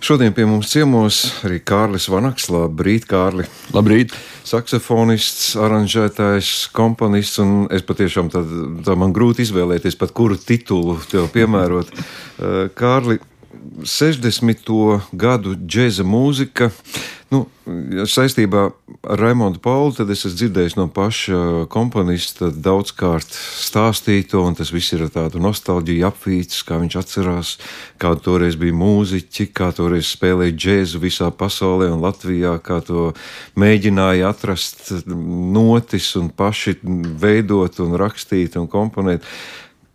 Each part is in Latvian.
Šodien pie mums ciemos arī Kārlis Vanaks. Labrīt, Kārli! Labrīt! Saksofonists, aranžētājs, komponists, un es patiešām tā man grūti izvēlēties, pat kuru titulu tev piemērot. Kārli, 60. gadu džēza mūzika, saistībā ar Raimondu Pauli, tad es esmu dzirdējis no paša komponista daudzkārt stāstīto, un tas viss ir tādu nostalģiju apvīts, kā viņš atcerās, kāda toreiz bija mūziķi, kā toreiz spēlēja džēzu visā pasaulē un Latvijā, kā to mēģināja atrast notis un paši veidot un rakstīt un komponēt.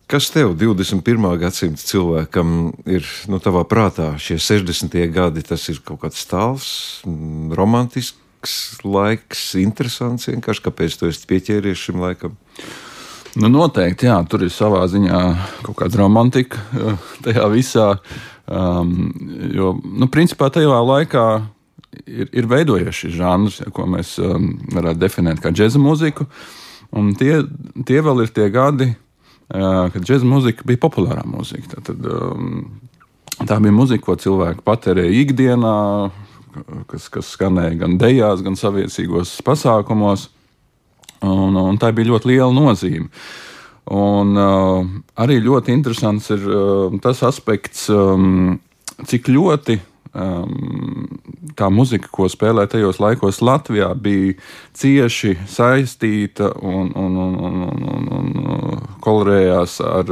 Kas tev, 21. gadsimta cilvēkam, ir tavā prātā šie 60. gadi? Tas ir kaut kāds tāls, romantisks laiks, interesants vienkārši. Kāpēc tu esi pieķēries šim laikam? Noteikti, jā, tur ir savā ziņā kaut kāda romantika tajā visā, jo, principā tajā laikā ir veidojies šis žanrs, ko mēs varētu definēt kā džeza mūziku, un tie vēl ir tie gadi, kad džeza mūzika bija populārā mūzika. Tā bija mūzika, ko cilvēki patērēja ikdienā, kas skanēja gan dejās, gan saviesīgos pasākumos, un tā bija ļoti liela nozīme. Un arī ļoti interesants ir tas aspekts, cik ļoti tā muzika, ko spēlē tajos laikos Latvijā, bija cieši saistīta un kolorējās ar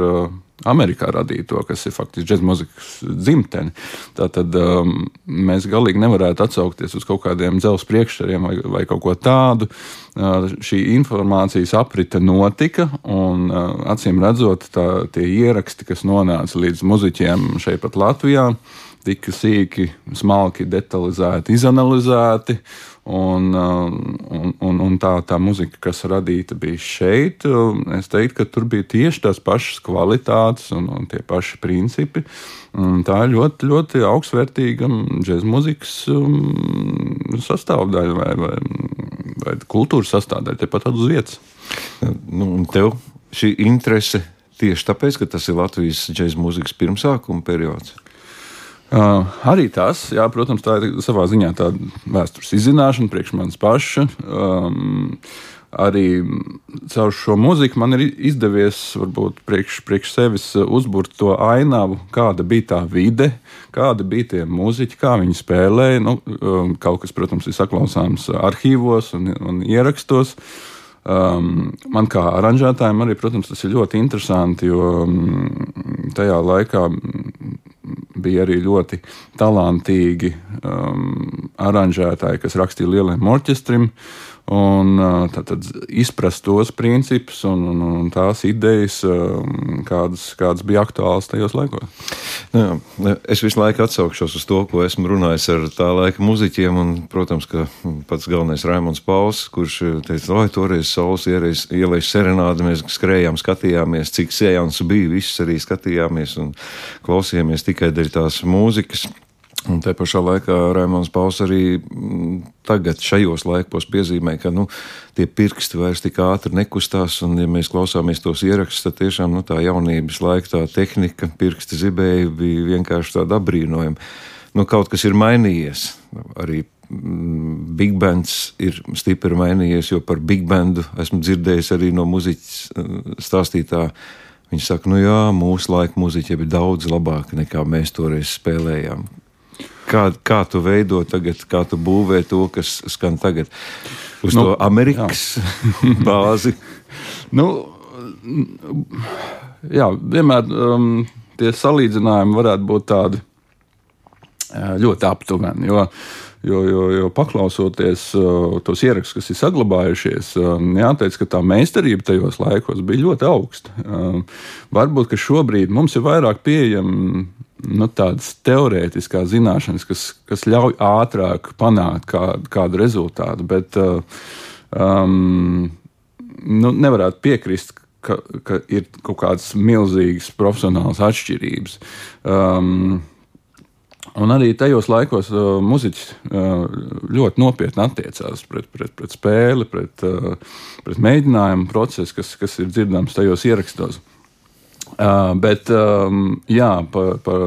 Amerikā radīto, kas ir faktiski džeza mūzikas dzimteni. Tātad mēs galīgi nevarētu atsaukties uz kaut kādiem dzelzs priekšstariem vai kaut ko tādu. Šī informācijas aprite notika, un acīm redzot, tie ieraksti, kas nonāca līdz muziķiem šeit pat Latvijā, tika sīki, smalki, detalizēti, izanalizēti, un tā muzika, kas radīta bija šeit, es teiktu, ka tur bija tieši tās pašas kvalitātes un tie paši principi. Tā ir ļoti, ļoti augstvērtīga džeza mūzikas sastāvdaļa vai kultūras sastāvdaļa, tepat uz vietas. Un tev šī interese tieši tāpēc, ka tas ir Latvijas džeza mūzikas pirmsākuma periods? Arī tas, jā, protams, tā ir savā ziņā tāda vēstures izzināšana priekš manis paša. Arī caur šo mūziku man ir izdevies varbūt priekš sevis uzburt to ainavu, kāda bija tā vide, kāda bija tie mūziķi, kā viņi spēlēja. Kaut kas, protams, ir saklausāms arhīvos un ierakstos. Man kā aranžētājiem arī, protams, tas ir ļoti interesanti, jo tajā laikā bija arī ļoti talantīgi aranžētāji, kas rakstīja lieliem orķestrim, un tad izprast tos principus un tās idejas, kādas bija aktuālas tajos laikos. Es visu laiku atsaukšos uz to, ko esmu runājis ar tā laika muziķiem, un, protams, ka pats galvenais Raimonds Pauls, kurš teica, toreiz saules ielais serenādi, mēs skrējām, skatījāmies, cik sējāns bija, visus arī skatījāmies un klausījāmies tikai dēļ tās mūzikas. Un te pašā laikā Raimonds Pauls arī tagad šajos laikos piezīmē, ka tie pirksti vairs tik ātri nekustās, un ja mēs klausāmies tos ierakstus, tad tiešām tā jaunības laika, tā tehnika, pirksti zibēji bija vienkārši tāda apbrīnojama. Kaut kas ir mainījies. Arī big bands ir stipri mainījies, jo par big bandu esmu dzirdējis arī no muziķa stāstītā. Viņš saka, mūsu laika muziķi bija daudz labāki nekā mēs toreiz spēlējām. Kā tu veido tagad, kā tu būvē to, kas skan tagad? Uz to Amerikas bāzi? Jā, vienmēr tie salīdzinājumi varētu būt tādi ļoti aptuveni, jo paklausoties tos ierakstus, kas ir saglabājušies, jāteic, ka tā meistarība tajos laikos bija ļoti augsta. Varbūt, ka šobrīd mums ir vairāk pieejami tādas teorētiskās zināšanas, kas ļauj ātrāk panākt kādu rezultātu, bet nevarētu piekrist, ka ir kaut kādas milzīgas profesionālas atšķirības. Un arī tajos laikos muziķis ļoti nopietni attiecās pret spēli, pret mēģinājumu procesu, kas ir dzirdams tajos ierakstos. Bet jā, par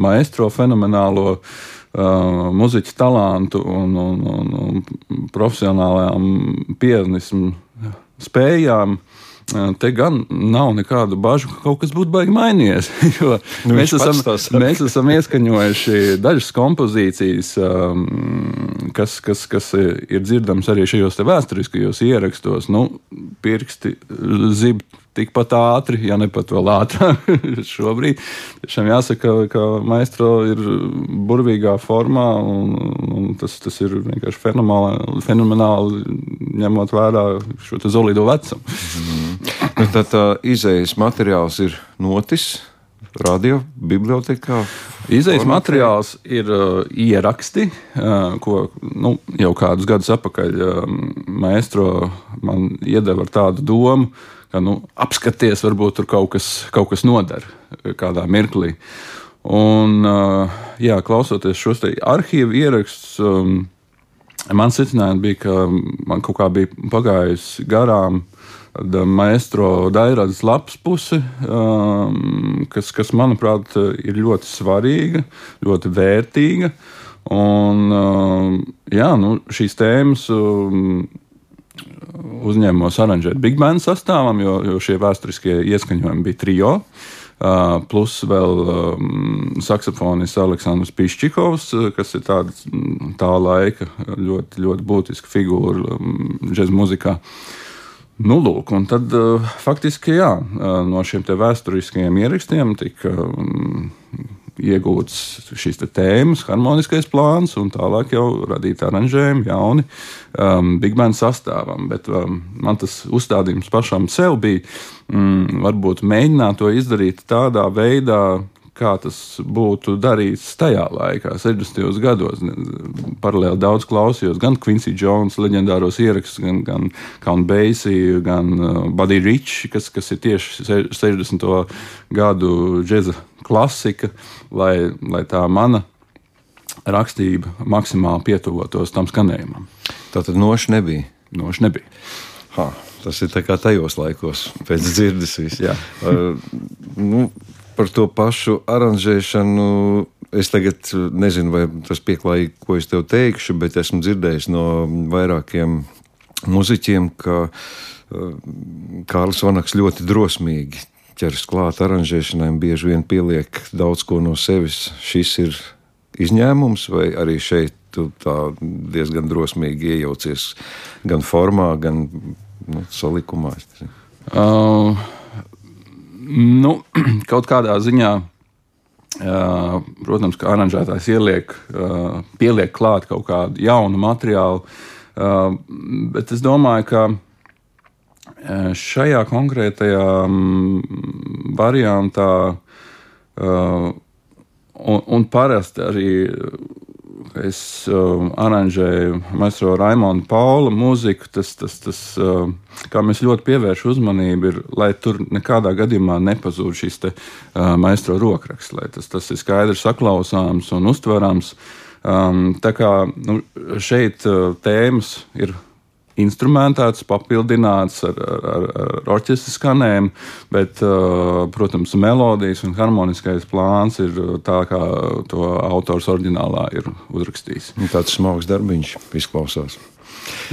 maestro fenomenālo muziķa talantu un profesionālajām pianismu spējām, te gan nav nekādu bažu, ka kaut kas būtu baigi mainījies. Jo mēs esam ieskaņojuši dažas kompozīcijas, kas ir dzirdams arī šajos te vēsturiskajos ierakstos. Pirksti zib tikpat ātri, ja ne pat vēl ātrāk šobrīd. Tiešām jāsaka, ka maestro ir burvīgā formā, un tas ir vienkārši fenomenāli ņemot vērā šo te solido vecumu. Tā izējas materiāls ir notis radio bibliotekā? Izējas materiāls ir ieraksti, ko jau kādus gadus atpakaļ maestro man iedeva ar tādu domu, ka apskaties, varbūt tur kaut kas noder kādā mirklī. Un, klausoties šos te arhīvu ierakstus, man secinājums bija, ka man kaut kā bija pagājusi garām maestro Dairādas lapas puse, kas, manuprāt, ir ļoti svarīga, ļoti vērtīga. Un, šīs tēmas uzņēmos aranžēt big band sastāvam, jo šie vēsturiskie ieskaņojumi bija trio, plus vēl saksofonists Aleksandrs Piščikovs, kas ir tā laika ļoti, ļoti būtiska figūra džez muzikā. Lūk, un tad faktiski, no šiem te vēsturiskajiem ierakstiem tika iegūts šīs te tēmas, harmoniskais plāns, un tālāk jau radīt aranžējumi jauni big band sastāvam. Bet man tas uzstādījums pašam sev bija varbūt mēģināt to izdarīt tādā veidā, kā tas būtu darīts tajā laikā, 60. gados. Paralēli daudz klausījos gan Quincy Jones leģendāros ierakstus, gan Count Basie, gan Buddy Rich, kas ir tieši 60. gadu džeza klasika, lai tā mana rakstība maksimāli pietuvotos tam skanējumam. Tātad noši nebija? Noši nebija. Tas ir tā kā tajos laikos, pēc dzirdes viss. Jā. Par to pašu aranžēšanu es tagad nezinu, vai tas pieklājīgi, ko es tev teikšu, bet esmu dzirdējis no vairākiem muziķiem, ka Kārlis Vanaks ļoti drosmīgi ķeras klāt aranžēšanai un bieži vien pieliek daudz ko no sevis. Šis ir izņēmums, vai arī šeit tu tā diezgan drosmīgi iejaucies gan formā, gan salikumā? Kaut kādā ziņā, protams, ka aranžētājs pieliek klāt kaut kādu jaunu materiālu, bet es domāju, ka šajā konkrētajā variantā un parasti arī es aranžēju maestro Raimonda Paula mūziku, tas, kā mēs ļoti pievērš uzmanību, ir, lai tur nekādā gadījumā nepazūd šis te maestro rokraksts, lai tas ir skaidrs saklausāms un uztverams. Tā kā šeit tēmas ir instrumentēts, papildināts ar orķestra skanējumu, bet, protams, melodijas un harmoniskais plāns ir tā, kā to autors oriģinālā ir uzrakstījis. Tāds smags darbiņš izklausās.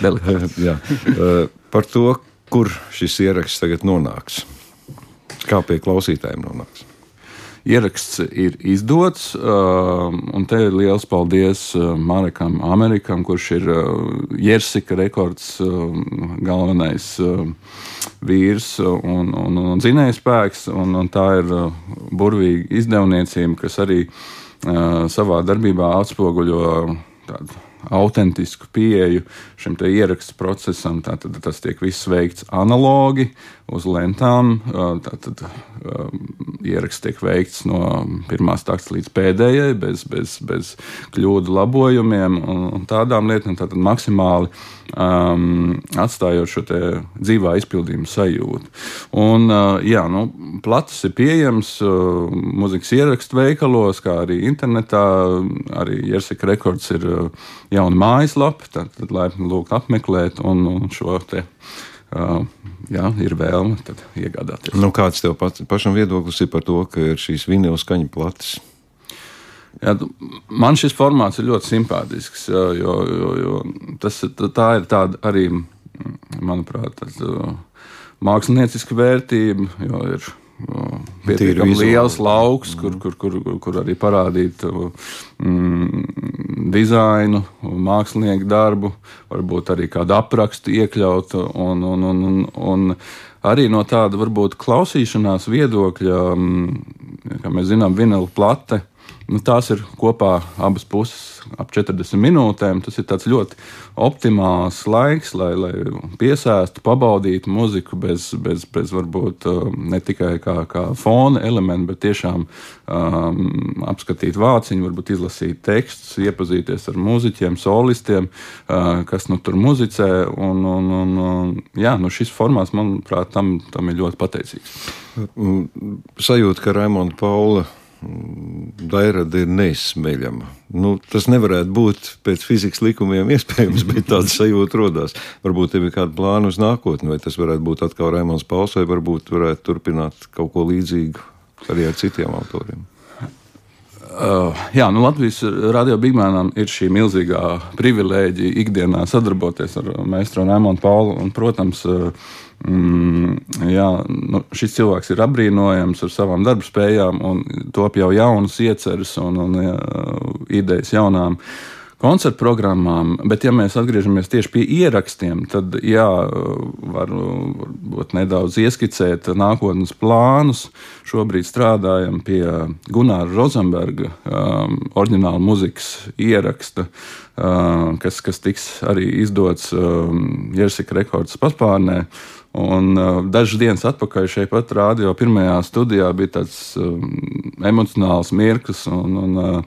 Jā. Par to, kur šis ieraksts tagad nonāks? Kā pie klausītājiem nonāks? Ieraksts ir izdots, un te ir liels paldies Marekam Amerikam, kurš ir Jersika rekords galvenais vīrs un dzinējspēks, un tā ir burvīga izdevniecība, kas arī savā darbībā atspoguļo tādu autentisku pieeju šim te ierakstu procesam. Tātad tas tiek viss veikts analogi uz lentām. Tātad ieraksts tiek veikts no pirmās takts līdz pēdējai, bez kļūdu labojumiem un tādām lietām. Tātad maksimāli atstājot šo te dzīvā izpildījuma sajūtu. Un, platus ir pieejams muzikas ierakstu veikalos, kā arī internetā. Arī Jersika rekords ir jauna mājaslapa, tad laipni lūgt apmeklēt un šo te, ir vēlme tad iegādāties. Kāds tev pašam viedoklis ir par to, ka ir šīs vinila skaņu plates? Jā, man šis formāts ir ļoti simpātisks, jo tā ir tāda arī, manuprāt, mākslinieciska vērtība, jo ir pietiekami liels lauks, kur arī parādīt dizainu, mākslinieku darbu, varbūt arī kādu aprakstu iekļaut, un arī no tāda varbūt klausīšanās viedokļa, kā mēs zinām, vinila plate. Tās ir kopā abas puses ap 40 minūtēm. Tas ir tāds ļoti optimāls laiks, lai piesēstu, pabaudītu muziku bez varbūt ne tikai kā fona elementi, bet tiešām apskatīt vāciņu, varbūt izlasīt tekstus, iepazīties ar mūziķiem, solistiem, kas tur muzicē. Šis formāts, manuprāt, tam ir ļoti pateicīgs. Sajūta, ka Raimonda Paula dairada ir neizsmeļama. Tas nevarētu būt pēc fizikas likumiem iespējams, bet tāda sajūta rodās. Varbūt tev ir kāda plāna uz nākotni, vai tas varētu būt atkal Raimonds Pauls, vai varbūt varētu turpināt kaut ko līdzīgu arī ar citiem autoriem. Latvijas Radio Bigmanam ir šī milzīgā privilēģija ikdienā sadarboties ar meistru Raimondu Paulu, un, protams, šis cilvēks ir apbrīnojams ar savām darbspējām un top jau jaunas ieceres un idejas jaunām koncertu programmām, bet ja mēs atgriežamies tieši pie ierakstiem, tad varbūt nedaudz ieskicēt nākotnes plānus. Šobrīd strādājam pie Gunāra Rozenberga oriģināla muzikas ieraksta, kas tiks arī izdots Jersika Rekords paspārnē. Un dažas dienas atpakaļ šeit pat radio pirmajā studijā bija tāds emocionāls mirklis un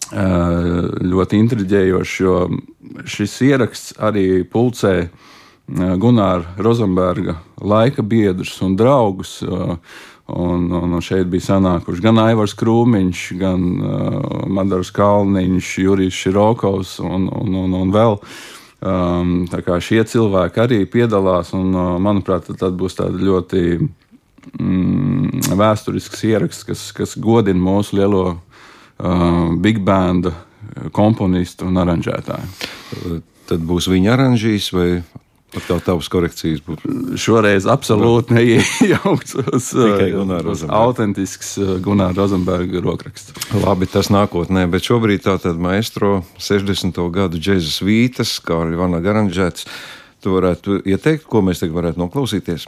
ļoti intriģējošs, jo šis ieraksts arī pulcē Gunāra Rozenberga laika biedrus un draugus. Un šeit bija sanākuši gan Aivars Krūmiņš, gan Madars Kalniņš, Jurijs Širokovs un vēl. Tā kā šie cilvēki arī piedalās, un, manuprāt, tad būs tāda ļoti vēsturisks ieraksts, kas godina mūsu lielo big banda komponistu un aranžētāju. Tad būs viņa aranžīs vai atkal tavas korekcijas? Šoreiz absolūti neiejaukts uz autentisks Gunāra Rozenberga rokraksts. Labi, tas nākotnē, bet šobrīd tātad maestro 60. gadu džeza svītas, kā arī Vanaga aranžētas. Tu varētu ieteikt, ko mēs tagad varētu noklausīties?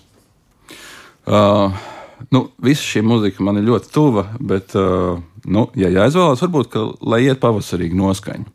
Visa šī muzika man ir ļoti tuva, bet, ja jāizvēlās, varbūt, lai iet pavasarīgi noskaņa.